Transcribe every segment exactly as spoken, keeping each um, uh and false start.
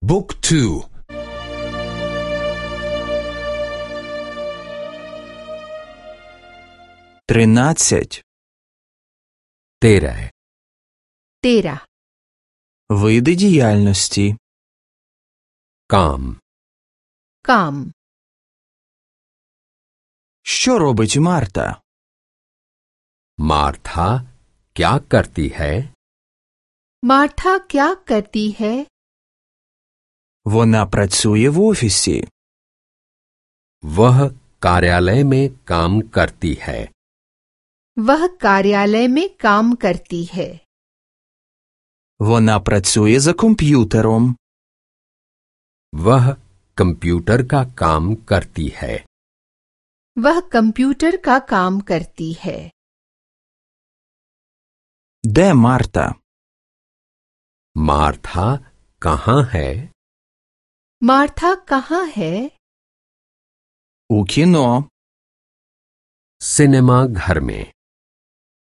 Book two. Тринадцять. तेरह तेरह Види діяльності. काम काम Що робить Марта? मार्था क्या करती है? मार्था क्या करती है? Вона працює в офісі. वह कार्यालय में काम करती है। वह कार्यालय में काम करती है। Вона працює за комп'ютером. वह कंप्यूटर का काम करती है। वह कंप्यूटर का काम करती है। Де Марта? मार्था कहाँ है? मार्था कहाँ है? У кіно. सिनेमा घर में।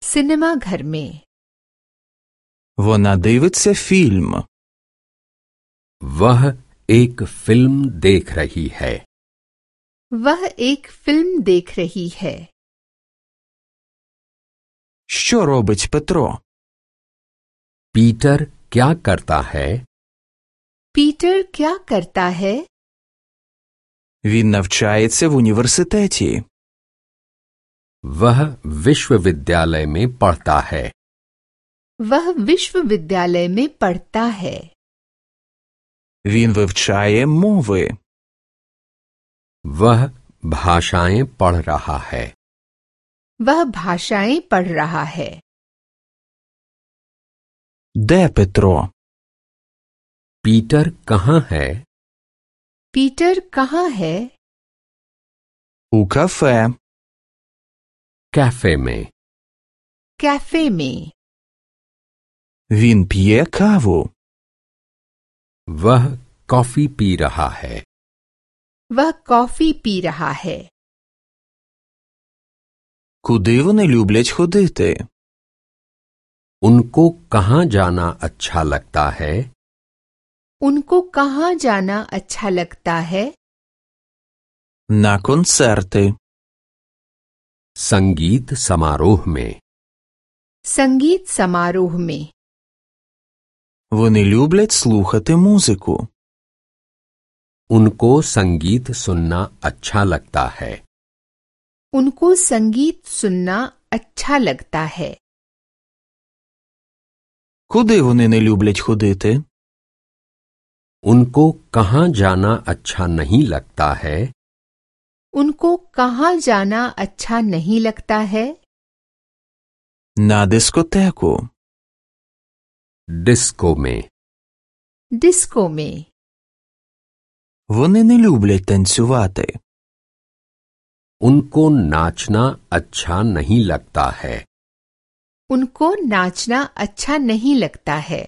सिनेमा घर में। Вона дивиться фільм. वह एक फिल्म देख रही है। वह एक फिल्म देख रही है। Що робить Петро? पीटर क्या करता है? पीटर क्या करता है? Він навчається в університеті. वह विश्वविद्यालय में पढ़ता है। वह विश्वविद्यालय में पढ़ता है। Він вивчає мови. वह भाषाएं पढ़ रहा है। वह भाषाएं पढ़ रहा है। Де Петро? पीटर कहाँ है? पीटर कहाँ है? У кафе. कैफे में। कैफे में। Він п'є каву. वह कॉफी पी रहा है। वह कॉफी पी रहा है। Куди вони люблять ходити? उनको कहाँ जाना अच्छा लगता है? उनको कहाँ जाना अच्छा लगता है? На концерти. संगीत समारोह में। संगीत समारोह में। Вони люблять слухати музику. उनको संगीत सुनना अच्छा लगता है। उनको संगीत सुनना अच्छा लगता है। Куди вони не люблять ходити? उनको कहाँ जाना अच्छा नहीं लगता है? उनको कहाँ जाना अच्छा नहीं लगता है? На дискотеку. डिस्को में। डिस्को में। Вони не люблять танцювати. उनको नाचना अच्छा नहीं लगता है। उनको नाचना अच्छा नहीं लगता है।